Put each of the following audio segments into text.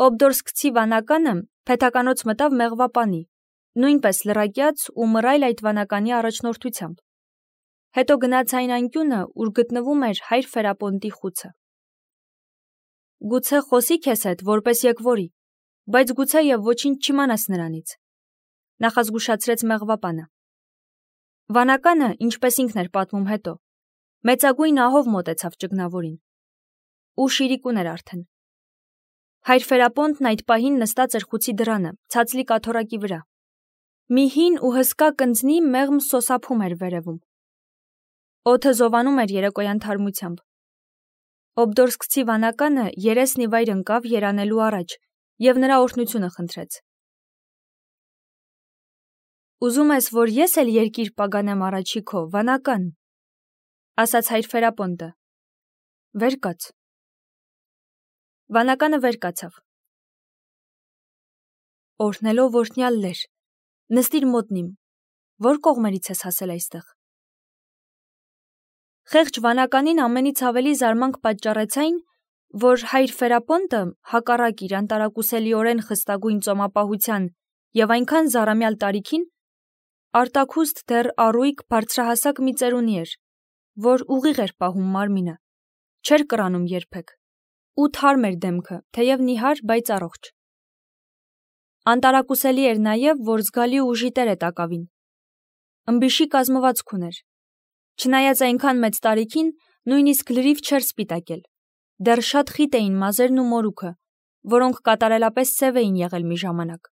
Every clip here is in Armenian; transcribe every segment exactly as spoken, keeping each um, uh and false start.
Օբդորսկցի վանականը փեթականոց մտավ մեղվապանի, նույնպես լրակյաց ու մռայլ այդ վանականի առաջնորդությամբ։ Հետո գնաց այն անկյունը, ուր գտնվում էր հայր Ֆերապոնտի խուցը։ Գուցե խոսի քեզ հետ, որպես եկվորի, բայց գուցե եւ ոչինչ չիմանաս նրանից, նախազգուշացրեց մեղվապանը։ Վանականը, ինչպես ինքն էր պատմում հետո, մեծագույն ահով մոտեցավ ճգնավորին։ Ուշ իրիկուն էր արդեն։ Հայր Ֆերապոնտն այդ պահին նստած էր խուցի դռանը, ցածլիկ աթոռակի վրա։ Մի հին ու հսկա կնձնի մեղմ սոսափում էր վերևում։ Օդը զովանում էր երեկոյան թարմությամբ։ Օբդորսկցի վանականը երեսն ի վայր ընկավ երանելու առաջ և նրա օրհնությունը խնդրեց։ Ուզում ես, որ ես էլ երկիր պագանեմ առաջի քո, վանական, ասաց հայր Ֆերապոնտը։ Վեր կաց։ Վանականը վեր կացավ։ Օրհնելով օրհնյալ լեր, նստիր մոտնիմ, որ կողմերից ես հասել այստեղ։ Խեղճ վանականին ամենից ավելի զարմանք պատճառեց այն, որ հայր Ֆերապոնտը, հակառակ իր անտարակուսելիորեն խստագույն ծոմապահության և այնքան զառամյալ տարիքին, արտաքուստ դեռ առույգ բարձրահասակ մի ծերունի էր, որ ուղիղ էր պահում մարմինը, չէր կռանում երբեք, ու թարմ էր դեմքը, թեև նիհար, բայց առողջ։ Անտարակուսելի էր նաև, որ զգալի ուժի տեր է տակավին։ Ըմբիշի կազմվածք ուներ։ Չնայած այնքան մեծ տարիքին, նույնիսկ լրիվ չէր սպիտակել, դեռ շատ խիտ էին մազերն ու մորուքը, որոնք կատարելապես սև էին եղել մի ժամանակ։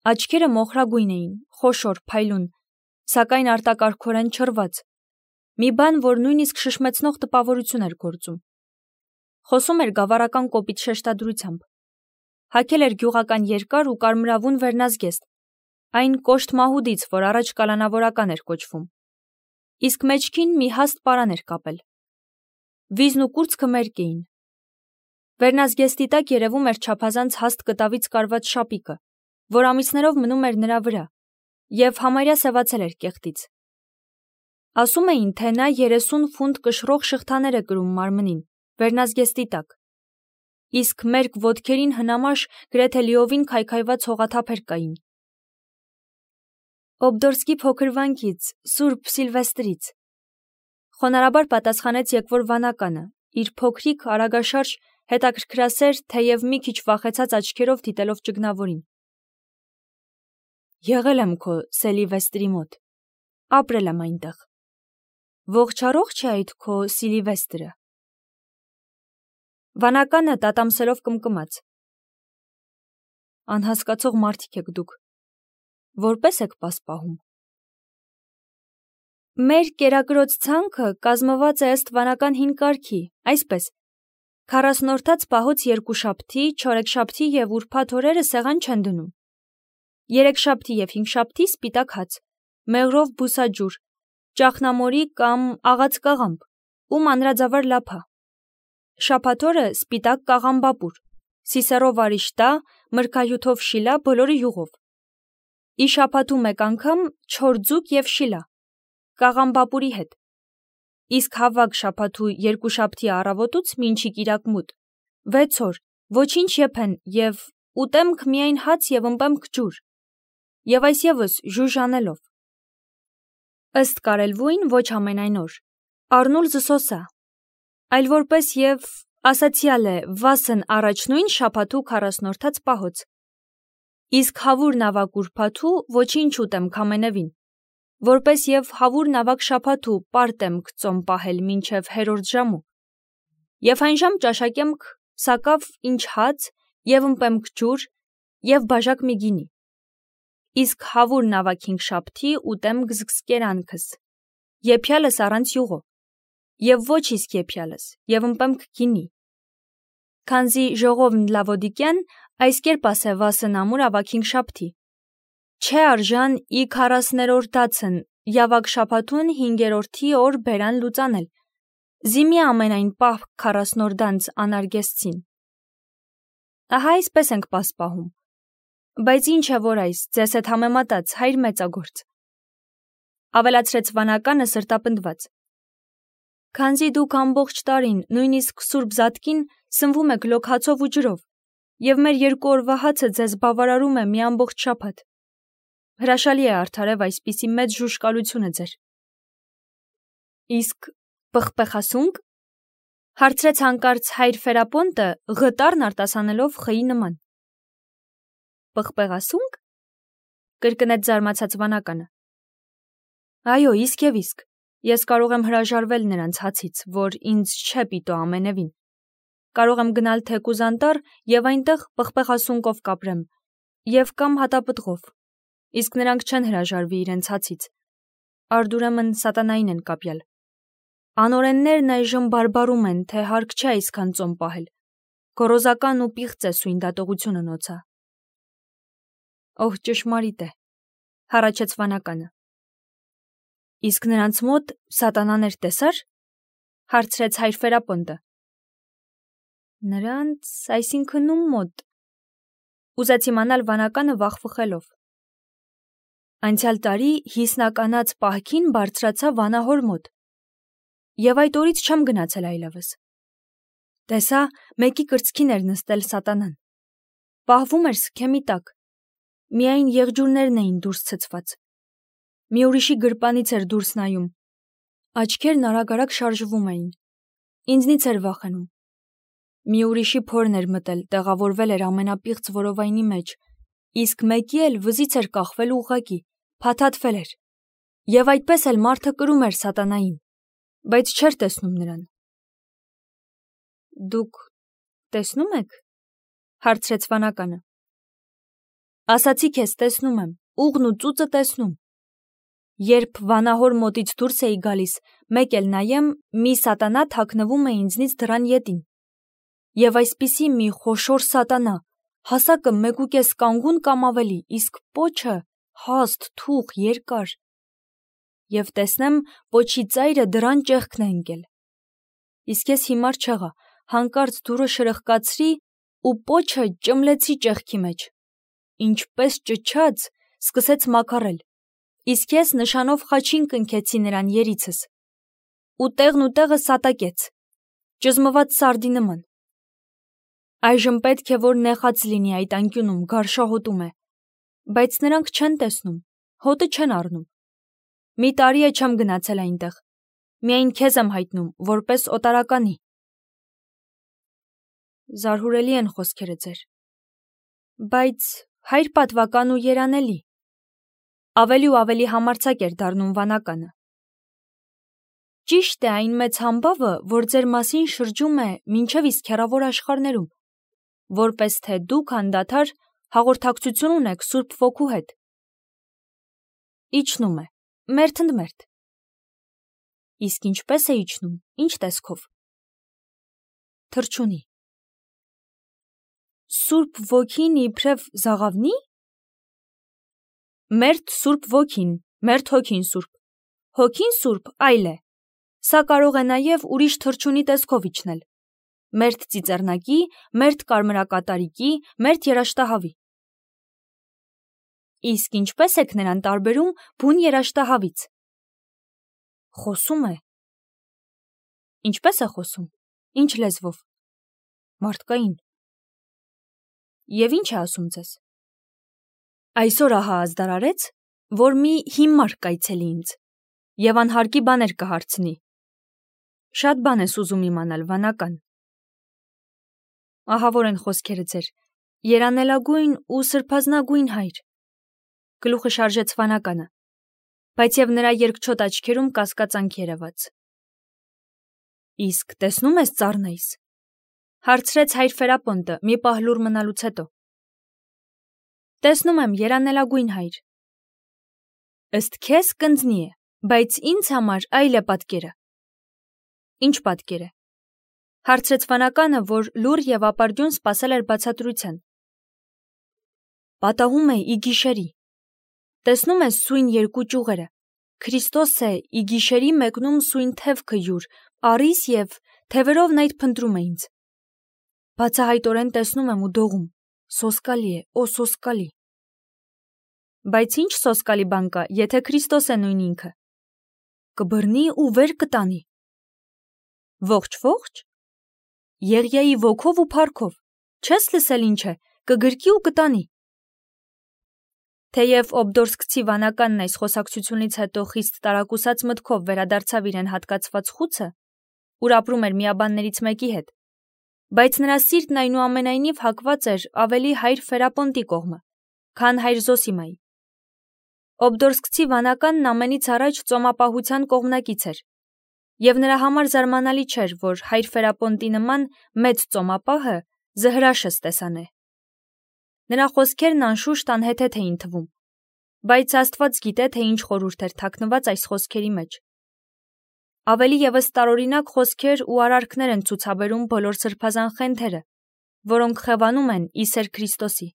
Աչքերը մոխրագույն էին, խոշոր, փայլուն, սակայն արտակարգորեն չռված, մի բան, որ նույնիսկ շշմեցնող տպավորություն էր գործում։ Խոսում էր գավառական կոպիտ շեշտադրությամբ։ Հագել էր գյուղական երկար ու կարմրավուն վերնազգեստ, այն կոշտ մահուդից, որ առաջ կալանավորական էր կոչվում։ Իսկ մեջքին մի հաստ պարան էր կապել։ Վիզն ու կուրծքը մերկ էին։ Վերնազգեստի տակ երևում էր չափազանց հաստ կտավից կարված շապիկը, որ ամիսներով մնում էր նրա վրա, և համարյա սևացել էր կեղտից։ Ասում էին, թե նա երեսուն ֆունտ կշռող շղթաներ է կրում մարմնին, վերնազգեստի տակ, իսկ մերկ ոտքերին հնամաշ գրեթե լիովին քայքայված հողաթափեր կային։ Օբդորսկի փոքր վանքից, Սուրբ Սիլվեստրից, խոնարհաբար պատասխանեց եկվոր վանականը, իր փոքրիկ, արագաշարժ, հետաքրքրասեր, թեև մի քիչ վախեցած աչքերով դիտելով ճգնավորին։ Եղել եմ քո Սելիվեստրի մոտ, ապրել եմ այնտեղ։ Ողջ-առողջ է այդ քո Սիլիվեստրը։ Վանականը տատամսելով կմկմաց։ Անհասկացող մարդիկ եք դուք, որպես եք պասպահում։ Մեր կերակրոց ցանքը կազմված է ըստ վանական հին կարգի, այսպես. քառասնորդաց պահոց երկուշաբթի, չորեքշաբթի և ուրբաթ օրերը սեղան չեն դնում։ Երեքշաբթի և հինգշաբթի սպիտակ հաց, մեղրով բուսաջուր, ճախնամորի կամ աղաց կաղամբ ու մանրաձավար լափա։ Շաբաթ օրը սպիտակ կաղամբապուր, սիսեռով արիշտա, մրգահյութով շիլա, բոլորը յուղով։ Ի շաբաթու մեկ անգամ չոր ձուկ և շիլա, կաղամբապուրի հետ։ Իսկ հավակ շաբաթու երկուշաբթի առավոտուց մինչի կիրակմուտ, վեց օր, ոչինչ եփեն և ուտեմք միայն հաց և ըմպեմք ջուր, և այս ևս ժուժ անելով։ Ըստ կարելվույն ոչ ամենայն օր, առնուլ զսոսա, այլ որպես և ասացյալ է վասն առաջնույն շաբաթու քառասնորդաց պահոց։ Իսկ հավուր նավակ ուրբաթու ոչինչ ուտեմք ամենևին, որպես և հավուր նավակ շաբաթու պարտեմք ծոմ պահել մինչև հերորդ ժամու, և այն ժամ ճաշակեմք սակավ ինչ հաց և ըմպեմք ջուր և բաժակ մի գինի, իսկ հավուր նավակ հինգշաբթի ուտեմք զգսկերանքս, եփյալս առանց յուղո, և ոչ իսկ եփյալս, և ըմպեմք գինի, քանզի ժողովն Լավոդիկյան այս կերպ ասե վասն ամուր ավակ հինգշաբթի. չէ արժան ի քառասներորդացն Յավակ շաբաթուն հինգերորդի օր բերան լուծանել, զիմի ամենայն պահ քառասնորդանց անարգեսցին։ Ահա այսպես ենք պասպահում, բայց ինչ է որ այս, ձեզ հետ համեմատած, հայր մեծագործ, ավելացրեց վանականը սրտապնդված։ Քանզի դուք ամբողջ տարին, նույնիսկ Սուրբ Զատկին, սնվում եք լոկ հացով ու ջրով, Եվ մեր երկու օրվա հացը ձեզ բավարարում է մի ամբողջ շաբաթ։ Հրաշալի է արդարև այսպիսի մեծ ժուշկալությունը ձեր։ Իսկ պղպեղասունկ, հարցրեց հանկարծ հայր Ֆերապոնտը, ղտարն արտասանելով խի նման։ Պղպեղասունկ, կրկնեց զարմացած վանականը։ Այո, իսկ եւ իսկ, ես կարող եմ հրաժարվել նրանց հացից, որ ինձ չէ պիտո ամենևին։ Կարող եմ գնալ թեկուզ անտառ եւ այնտեղ պղպեղասունկով կապրեմ, եւ կամ հատապտղով, իսկ նրանք չեն հրաժարվի իրենց հացից։ Արդուրեմն սատանային են կապյալ։ Անօրեններն այժմ բարբարում են, թե հարկ չէ այսքան ծոմ պահել։ Գոռոզական ու պիղծ է սույն դատողությունը նոցա։ Օհ, ճշմարիտ է, հառաչեց վանականը։ Իսկ նրանց մոտ սատանաներ տեսար, հարցրեց հայր Ֆերապոնտը։ Նրանց, այսինքն ում մոտ, ուզեց իմանալ վանականը վախվխելով։ Անցյալ տարի հիսնականած պահքին բարձրացա վանահոր մոտ, եւ այդ օրից չեմ գնացել այլևս։ Տեսա, մեկի կրծքին էր նստել սատանան, պահվում էր սքեմի տակ, միայն եղջյուրներն էին դուրս ցցված, մի ուրիշի գրպանից էր դուրս նայում, աչքերն արագ-արագ շարժվում էին, ինձնից էր վախենում։ Մի ուրիշի փորն էր մտել, տեղավորվել էր ամենապիղծ որովայնի մեջ, իսկ մեկի էլ վզից էր կախվել ուղղակի, փաթաթվել էր, եւ այդպես էլ մարդը կրում էր սատանային, բայց չէր տեսնում նրան։ Դուք տեսնում եք, հարցրեց վանականը։ Ասացի քեզ, տեսնում եմ, ուղն ու ծուծը տեսնում։ Երբ վանահոր մոտից դուրս էի գալիս, մեկ էլ նայեմ, մի սատանա թաքնվում է ինձնից դռան ետին։ Եվ այսպիսի մի խոշոր սատանա, հասակը մեկուկես կանգուն կամ ավելի, իսկ պոչը հաստ, թուխ, երկար։ Եվ տեսնեմ, պոչի ծայրը դռան ճեղքն է ընկել։ Իսկ ես հիմար չեղա, հանկարծ դուռը շրխկացրի ու պոչը ճմլեցի ճեղքի մեջ։ Ինչպես ճչաց, սկսեց մաքարել, իսկ ես նշանով խաչին կնքեցի նրան երիցս, ու տեղն ու տեղը սատակեց, ճզմված սարդի նման։ Այժմ պետք է, որ նեխած լինի այդ անկյունում, գարշահոտում է, բայց նրանք չեն տեսնում, հոտը չեն առնում։ Մի տարի է չեմ գնացել այնտեղ, միայն քեզ եմ հայտնում, որպես օտարականի։ Զարհուրելի են խոսքերը ձեր, բայց հայր պատվական ու երանելի։ Ավելի ու ավելի համարձակ էր դառնում վանականը։ Ճիշտ է այն մեծ համբավը, որ ձեր մասին շրջում է մինչև իսկ հեռավոր աշխարհներում, որպես թե դուք անդադար հաղորդակցություն ունեք Սուրբ Ոգու հետ։ Իջնում է, մերթ ընդ մերթ։ Իսկ ինչպես է իջնում, ինչ տեսքով։ Թռչունի։ Սուրբ Ոգին իբրև զաղավնի։ Մերթ Սուրբ Ոգին, մերթ Հոգին Սուրբ, Հոգին Սուրբ այլ է, սա կարող է նաև ուրիշ թռչունի տեսքով իջնել, մերթ ծիծեռնակի, մերթ կարմրակատարիկի, մերթ երաշտահավի։ Իսկ ինչպես եք նրան տարբերում բուն երաշտահավից։ Խոսում է։ Ինչպես է խոսում, ինչ լեզվով։ Մարդկային։ Եվ ինչ է ասում ձեզ։ Այսօր ահա ազդարարեց, որ մի հիմար կայցելի ինձ, եւ անհարկի բաներ կհարցնի։ Շատ բան ես ուզում իմանալ, վանական։ Ահավոր են խոսքերը ձեր, երանելագույն ու սրբազնագույն հայր։ Գլուխը շարժեց վանականը, բայց եւ նրա երկչոտ աչքերում կասկածանք երևաց։ Իսկ տեսնում ես ծառնեիս, հարցրեց հայր Ֆերապոնտը մի պահ լուռ մնալուց հետո։ Տեսնում եմ, երանելագույն հայր։ Ըստ քեզ կնձնի է, բայց ինձ համար այլ է պատկերը։ Ինչ պատկեր է։ Հարցրեց վանականը, որ լուռ եւ ապարդյուն սպասել էր բացատրության։ Պատահում է ի գիշերի։ Տեսնում ես սույն երկու ճյուղերը։ Քրիստոս է ի գիշերի մեկնում սույն թևքը յուր, առիս եւ թևերովն այդ փնտրում է ինձ։ Բացահայտորեն տեսնում եմ ու դողում, սոսկալի է, օ սոսկալի։ Բայց ինչ սոսկալի բան կա, եթե Քրիստոս է նույն ինքը։ Կբռնի ու վեր կտանի։ Ողջ ողջ։ Եղիայի ոգով ու փառքով, չես լսել ինչ է, կգրկի ու կտանի։ Թեև Օբդորսկցի վանականն այս խոսակցությունից հետո խիստ տարակուսած մտքով վերադարձավ իրեն հատկացված խուցը, ուր ապրում էր միաբաններից մեկի հետ, բայց նրա սիրտն այնուամենայնիվ հակված էր ավելի հայր Ֆերապոնտի կողմը, քան հայր Զոսիմայի։ Օբդորսկցի վանականն ամենից առաջ ծոմապահության կողմնակից էր, և նրա համար զարմանալի չէր, որ հայր Ֆերապոնտի նման մեծ ծոմապահը զհրաշը ստեսանե։ Նրա խոսքերն անշուշտ անհեթեթ էին թվում, բայց Աստված գիտե, թե ինչ խորհուրդ էր թաքնված այս խոսքերի մեջ։ Ավելի ևս տարօրինակ խոսքեր ու արարքներ են ցուցաբերում բոլոր սրբազան խենթերը, որոնք խևանում են Իսեր Քրիստոսի։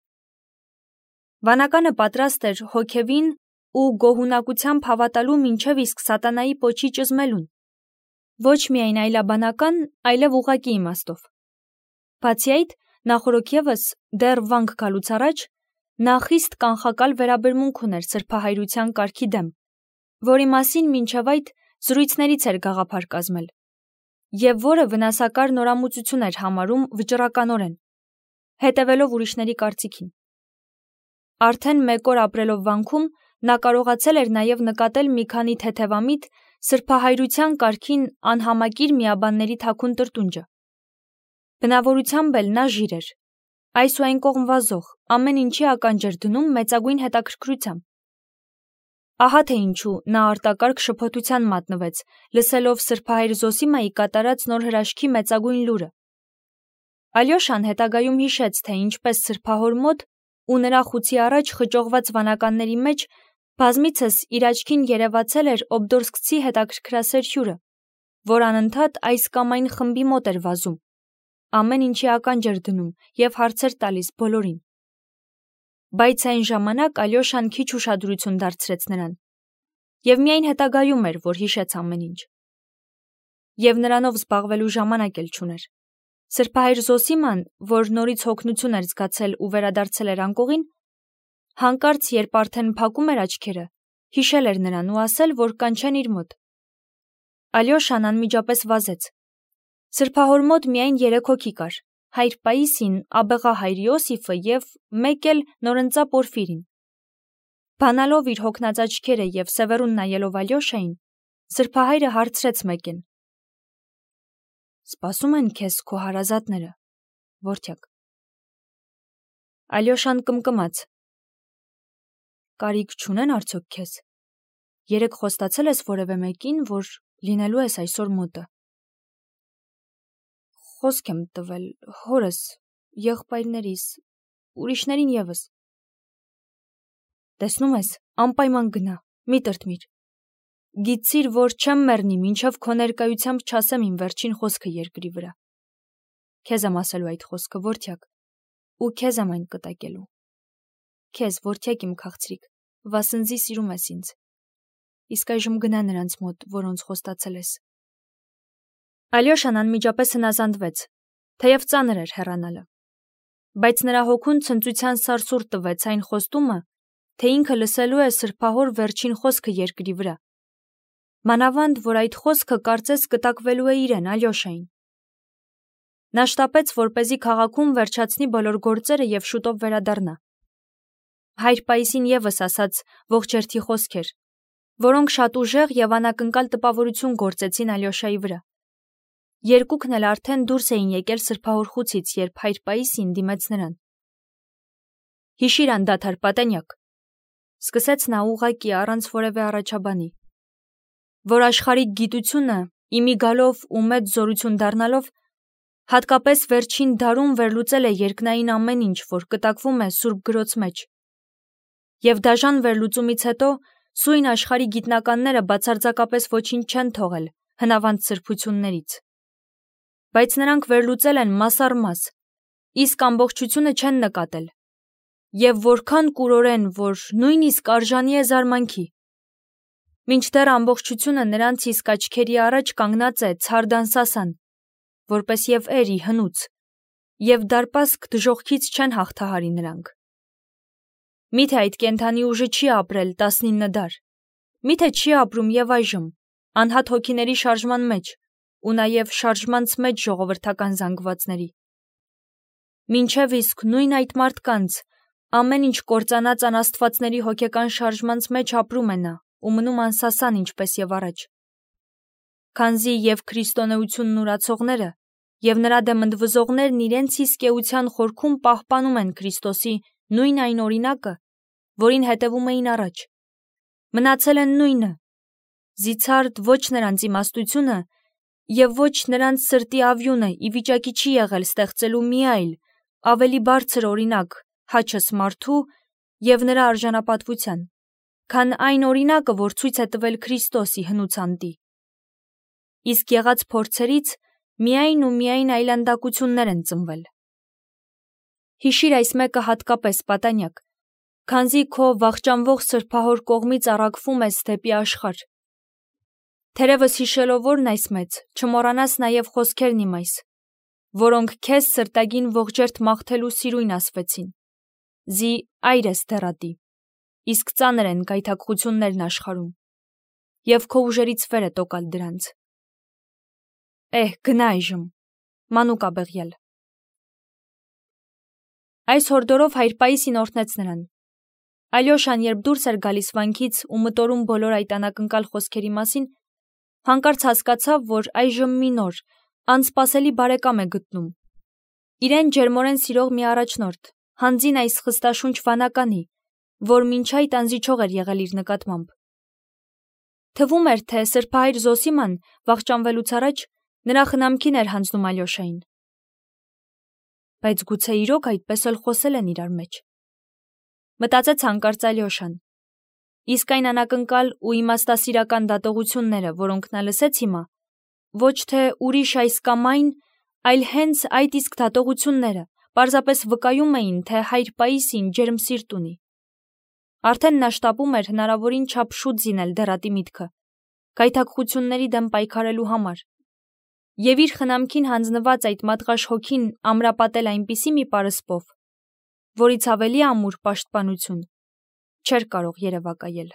Վանականը պատրաստ էր հոգևին ու գոհունակությամբ հավատալու մինչև իսկ սատանայի պոչի ճզմելուն, ոչ միայն այլաբանական, այլև ուղղակի իմաստով։ Բացի այդ, նախորոք ևս դեռ վանք գալուց առաջ նա խիստ կանխակալ վերաբերմունք ուներ սրբահայրության կարգի դեմ, որի մասին մինչև այդ զրույցներից էր գաղափար կազմել, և որը վնասակար նորամուծություն էր համարում վճռականորեն, հետևելով ուրիշների կարծիքին։ Արդեն մեկ օր ապրելով վանքում նա կարողացել էր նաև նկատել մի քանի թեթևամիտ սրբահայրության կարգին անհամակիր միաբանների թաքուն տրտունջը։ Բնավորությամբ էլ նա ժիր էր, այս ու այն կողմ վազող, ամեն ինչի ականջ էր դնում մեծագույն հետաքրքրությամբ։ Ահա թե ինչու նա արտակարգ շփոթության մատնվեց, լսելով սրբահայր Զոսիմայի կատարած նոր հրաշքի մեծագույն լուրը։ Ալյոշան հետագայում հիշեց, թե ինչպես սրբահոր մոտ ու նրա խուցի առաջ խճողված վանականների մեջ բազմիցս իր աչքին երևացել էր օբդորսկցի հետաքրքրասեր հյուրը, որ անընդհատ այս կամ այն խմբի մոտ էր վազում, ամեն ինչի ականջ էր դնում և հարցեր տալիս բոլորին։ Բայց այն ժամանակ Ալյոշան քիչ ուշադրություն դարձրեց նրան, և միայն հետագայում էր, որ հիշեց ամեն ինչ։ Եվ նրանով զբաղվելու ժամանակ էլ չուներ։ Սրբահայր Զոսիման, որ նորից հոգնություն էր զգացել ու վերադարձել էր անկողին, հանկարծ, երբ արդեն փակում էր աչքերը, հիշել էր նրան ու ասել, որ կանչեն իր մոտ։ Ալյոշան անմիջապես վազեց։ Սրբահոր մոտ միայն երեք հոգի կար՝ հայր Պաիսին, աբեղա հայր Իոսիֆը և մեկ էլ նորընծա Պորֆիրին։ Բանալով իր հոգնած աչքերը և սևեռուն նայելով Ալյոշային, սրբահայրը հարցրեց մեկին. «Սպասում են քեզ քո հարազատները, որդյակ»։ Ալյոշան կմկմաց. «Կարիք չունեն արդյոք քեզ։ Երեկ խոստացել ես որևէ մեկին, որ լինելու ես այսօր մոտը»։ Խոսք եմ տվել հորս, եղբայրներիս, ուրիշներին ևս։ Տեսնում ես, անպայման գնա, մի տրտմիր։ Գիտցիր, որ չեմ մեռնի, մինչև քո ներկայությամբ չասեմ իմ վերջին խոսքը երկրի վրա։ Քեզ եմ ասելու այդ խոսքը, որդյակ, ու քեզ եմ այն կտակելու։ Քեզ, որդյակ իմ քաղցրիկ, վասնզի սիրում ես ինձ։ Իսկ այժմ գնա նրանց մոտ, որոնց խոստացել ես։ Ալյոշան անմիջապես հնազանդվեց, թեև ծանր էր հեռանալը։ Բայց նրա հոգուն ցնծության սարսուռ տվեց այն խոստումը, թե ինքը լսելու է սրբահոր վերջին խոսքը երկրի վրա։ Մանավանդ, որ այդ խոսքը կարծես կտակվելու է իրեն, Ալյոշային։ Նա շտապեց, որպեսզի քաղաքում վերջացնի բոլոր գործերը և շուտով վերադառնա։ Հայր Պաիսին ևս ասաց ողջերթի խոսքեր, որոնք շատ ուժեղ և անակնկալ տպավորություն գործեցին Ալյոշայի վրա։ Երկուքն էլ արդեն դուրս էին եկել սրբահոր խուցից, երբ հայր Պաիսին դիմեց նրան։ Հիշիր անդադար, պատենյակ, սկսեց նա ուղղակի առանց որևէ առաջաբանի, որ աշխարհիկ գիտությունը իմի գալով ու մեծ զորություն դառնալով հատկապես վերջին դարում վերլուծել է երկնային ամեն ինչ, որ կտակվում է Սուրբ գրոց մեջ, և դաժան վերլուծումից հետո սույն աշխարհի գիտնականները բացարձակապես ոչինչ չեն թողել հնավանդ սրբություններից, բայց նրանք վերլուծել են մաս առ մաս, իսկ ամբողջությունը չեն նկատել, և որքան կուրորեն, որ նույնիսկ արժանի է զարմանքի, մինչդեռ ամբողջությունը նրանց իսկ աչքերի առաջ կանգնած է ցար դանսասան, որպես և էրի հնուց, և դարպասք դժոխքից չեն հաղթահարի նրանք։ Միթե այդ կենդանի ուժը չի ապրել տասնինը դար, միթե չի ապրում և այժմ, անհատ հոգիների շարժման մեջ ու նաև շարժմանց մեջ ժողովրդական զանգվածների։ Մինչև իսկ նույն այդ մարդկանց ամեն ինչ կործանած անաստվածների հոգեկան շարժմանց մեջ ապրում է նա ու մնում անսասան ինչպես եւ առաջ։ Քանզի եւ քրիստոնեությունն ուրացողները եւ նրա դեմ ընդվզողներն իրենց իսկ էության խորքում պահպանում են Քրիստոսի նույն այն օրինակը, որին հետևում էին առաջ։ Մնացել են նույնը, զիցարդ ոչ նրանց իմաստությունը եւ ոչ նրանց սրտի ավյունը ի վիճակի չի եղել ստեղծելու մի այլ, ավելի բարձր օրինակ հաչս մարդու եւ նրա արժանապատվության, քան այն օրինակը, որ ցույց է տվել Քրիստոսի հնուցանդի։ Իսկ եղած փորձերից միայն ու միայն այլանդակություններ են ծնվել։ Հիշիր այս մեկը հատկապես պատանյակ, քանզի քո վախճանվող սրբահոր կողմից առաքվում ես դեպի աշխարհ։ Թերևս հիշելով որն այս մեծ, չմոռանաս նաև խոսքերն իմ այս, որոնք քեզ սրտագին ողջերթ մաղթելու սիրույն ասվեցին։ Զի այր ես դեռատի, իսկ ծանր են գայթակղություններն աշխարհում, եւ քո ուժերից վեր է տոկալ դրանց։ Էհ, գնա այժմ, մանուկ աբեղյալ։ Այս հորդորով հայր Պաիսին օրհնեց նրան։ Ալյոշան, երբ դուրս էր գալիս վանքից ու մտորում բոլոր այդ անակնկալ խոսքերի մասին, հանկարծ հասկացավ, որ այժմ մի նոր, անսպասելի բարեկամ է գտնում։ Իրեն ջերմորեն սիրող մի առաջնորդ, հանձին այս խստաշունչ վանականի, որ մինչ այդ անզիջող էր եղել իր նկատմամբ։ Թվում էր, թե սրբահայր Զոսիման վախճանվելուց առաջ նրա խնամքին էր հանձնում Ալյոշային։ Բայց գուցե իրոք այդպես էլ խոսել են իրար մեջ։ Մտածեց հանկարծ Ալյոշան։ Իսկ այն անակնկալ ու իմաստասիրական դատողությունները, որոնք նա լսեց հիմա, ոչ թե ուրիշ այս կամ այն, այլ հենց այդ իսկ դատողությունները պարզապես վկայում էին, թե հայր Պաիսին ջերմ սիրտ ունի։ Արդեն նա շտապում էր հնարավորին չափ շուտ զինել դեռատի միտքը, գայթակղությունների դեմ պայքարելու համար, եւ իր խնամքին հանձնված այդ մատղաշ հոգին ամրապատել այնպիսի մի պարսպով, որից ավելի ամուր պաշտպանություն չէր կարող երևակայել։